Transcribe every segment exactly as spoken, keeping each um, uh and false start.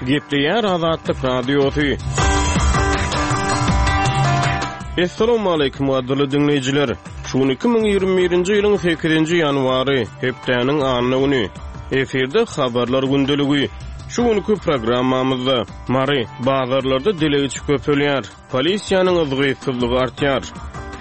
Gepleýär Azatlyk Radiosy. Assalamualaikum gadyrly diňleýjiler. Şu gün iki müň ýigrimi birinji ýylyň sekizinji ýanwary, hepdäniň anna güni. Efirde habarlar gündeligi. Şu günki programmamyzda Mary bazarlarda dilegçi köpelýär, polisiýanyň yzgytsyzlygy artýar.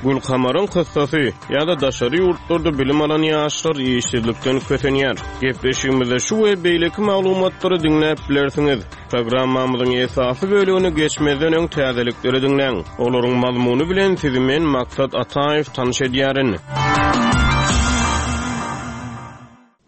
Gülkamaryň kyssasy ýa-da daşary ýurtlarda bilim alan ýaşlar işsizlikden kösenýär. Gepleşigimizde şu we beýleki maglumatlary diňläp bilersiňiz. Programmamyzyň esasy bölümini geçmezden öň täzelikleri diňläň. Olaryň mazmuny bilen sizi men Maksat Ataýew tanyş edýärin.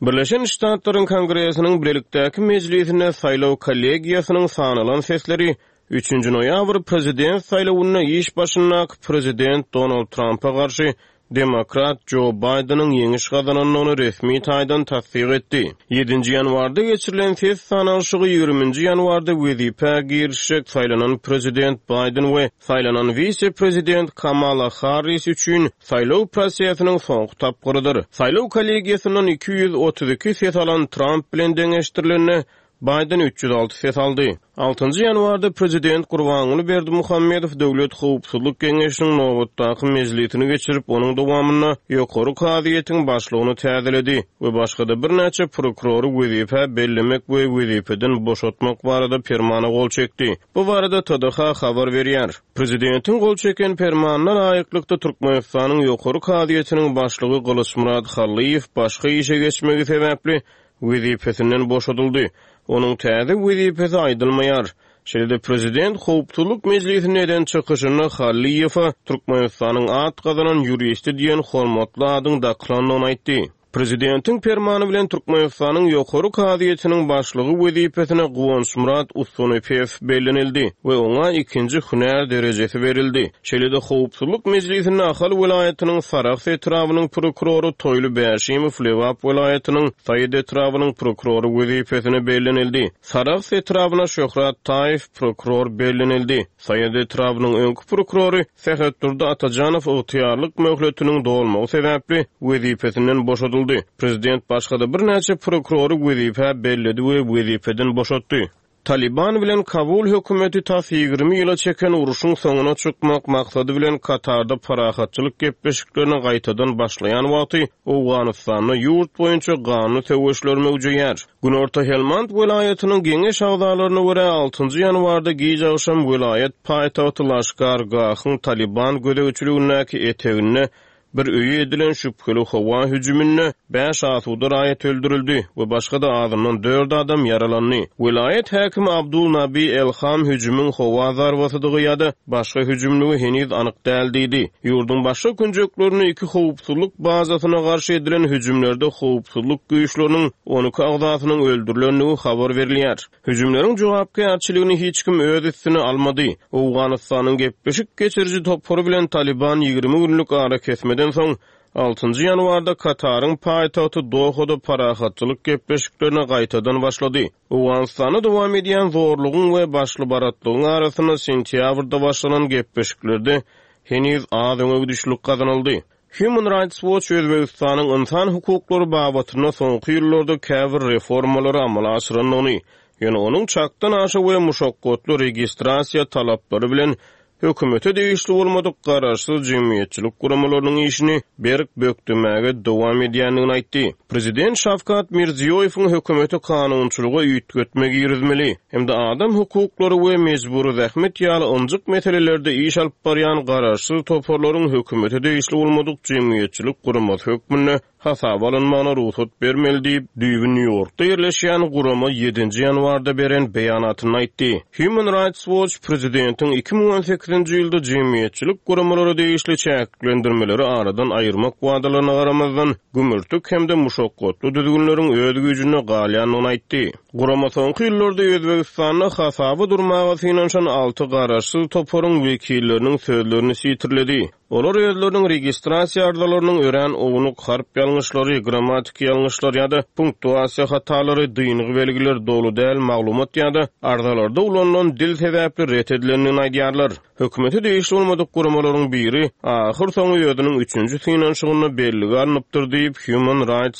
Birleşen Ştatlaryň Kongresiniň bilelikdäki mejlisinde saýlaw kollegiýasynyň sanalan sesleri üçünji noýabr prezident saýlawynda iş başyndaky prezident Donald Trumpa garşy demokrat Jo Baýdeniň ýeňiş gazanandygyny resmi taýdan tassyk etdi. Ýedinji ýanwarda geçirilen ses sanalyşygy ýigriminji ýanwarda wezipä girişjek saýlanan prezident Baýden we saýlanan wise-prezident Kamala Harris üçin saýlaw prosesiniň soňky tapgyrydyr. Saýlaw kollegiýasyndan iki ýüz otuz iki ses alan Trump bilen deňeşdirilende Baýden üç ýüz alty ses aldy. Altynjy ýanwarda prezident Gurbanguly Berdimuhamedow Döwlet Howpsuzlyk Geňeşiniň nobatdaky mejlisini geçirip, onuň dowamynda ýokary kazyýetiň başlygyny täzeledi we başga-da birnäçe prokurory wezipä bellemek we wezipeden boşatmak barada permana gol çekdi. Bu barada T D H habar berýär. Prezidentiň gol çeken permanyna laýyklykda Türkmenistanyň ýokary kazyýetiniň başlygy Gylyçmyrat Hallyýew başga işe geçmegi sebäpli wezipesinden boşadyldy. Onuň täze wezipesi aýdylmaýar. Şeýle-de prezident Howpsuzlyk mejlisinde eden çykyşynda Hallyýewe Türkmenistanyň at gazanan ýuristi diýen hormatly adyň dakylandygyny aýtdy. Prezidentiň permany bilen Türkmenistanyň ýokary kazyýetiniň başlygy wezipesine Guwançmyrat Ustunepes bellenildi we oňa ikinji hünär derejesi berildi. Şeýle-de Howpsuzlyk mejlisinde Ahal welaýatynyň Sarahs etrabynyň prokurory Toýly Bäşimow Lebap welaýatynyň Saýid etrabynyň prokurory wezipesine bellenildi. Sarahs etrabyna Şöhrat Taýew prokuror bellenildi. Saýid etrabynyň öňki prokurory Sähetdurdy Atajanow ygtyýarlyk möhletiniň dolmagy sebäpli wezipesinden boşadyldy. Prezident başga-da birnäçe prokurory wezipä belledi we wezipeden boşatdy. Taliban bilen Kabul hökümeti tas ýigrimi ýyla çeken uruşyň soňuna çykmak maksady bilen Katarda parahatçylyk gepleşiklerine gaýtadan başlaýan wagty Owganystanda ýurt boýunça ganly söweşler möwjeýär. Günorta Helmand welaýatynyň geňeş agzalaryna görä altynjy ýanwarda gije agşam welaýat paýtagty Laşkar-Gahyň Taliban gözegçiligindäki eteginde bir öýe edilen şübheli howa hüjüminde bäş asuda raýat öldürildi we başga-da azyndan dört adam ýaralandy. Welaýat häkimi Abdul Nabi Elham hüjümiň howa zarbasydygy ýa-da başga hüjümligi heniz anyk däl diýdi. Ýurduň başga künjeklerinde iki howpsuzlyk bazasyna garşy edilen hüjümlerde howpsuzlyk güýçleriniň on iki agzasynyň öldürilendigi habar berilýär. Hüjümleriň jogapkärçiligini hiç kim öz üstüne almady. Owganystanyň gepleşik geçiriji topary bilen Taliban ýigrimi günlük ara kesmeden soň altynjy ýanwarda Kataryň paýtagty Dohada parahatçylyk gepleşiklerine gaýtadan başlady. Owganystanda dowam edýän zorlugyň we başly baratlygyň arasynda sentýabrda başlanan gepleşiklerde heniz az öňe gidişlik gazanyldy. Human Rights Watch Özbekistanyň insan hukuklary babatynda soňky ýyllarda käbir reformalary amala aşyrandygyny, ýöne onuň çakdan aşa we muşakgatly registrasiýa talaplary bilen hökümete degişli bolmadyk garaşsyz jemgyýetçilik guramalarynyň işini berk bökdemäge dowam edýändigini aýtdy. Prezident Şawkat Mirziýoýewiň hökümeti kanunçylyga üýtgetme girizmeli hem-de adam hukuklary we mejbury zähmet ýaly ynjyk meselelerde iş alyp barýan garaşsyz toparlaryň hökümete degişli bolmadyk jemgyýetçilik guramasy hökmünde hasaba alynmagyna rugsat bermeli diýip, düýbi Nýu-Ýorkda ýerleşýän gurama ýedinji ýanwarda beren beýanatyny aýtdy. Human Rights Watch prezidentiň iki müň on sekizinji ýylda jemgyýetçilik guramalary degişli çäklendirmeleri aradan aýyrmak wadalaryna garamazdan gümürtik hem-de muşakgatly düzgünleriň öz güýjünde galýandygyny aýtdy. Gurama soňky ýyllarda Özbekistanda hasaba durmaga synanyşan alty garaşsyz toparyň wekilleriniň sözlerini sitirledi. Olar özleriniň registrasiýa arzalarynyň örän ownuk harp ýalňyşlary, grammatik ýalňyşlar ýa-da punktuasiýa hatalary, dyngy belgiler, dogry däl maglumat ýa-da arzalarda ulanylan dil sebäpli ret edilendigini aýdýarlar. Hökümete degişli bolmadyk guramalaryň biri ahyr soňy özüniň üçünji synanyşygynda bellige alnypdyr diýip Human Rights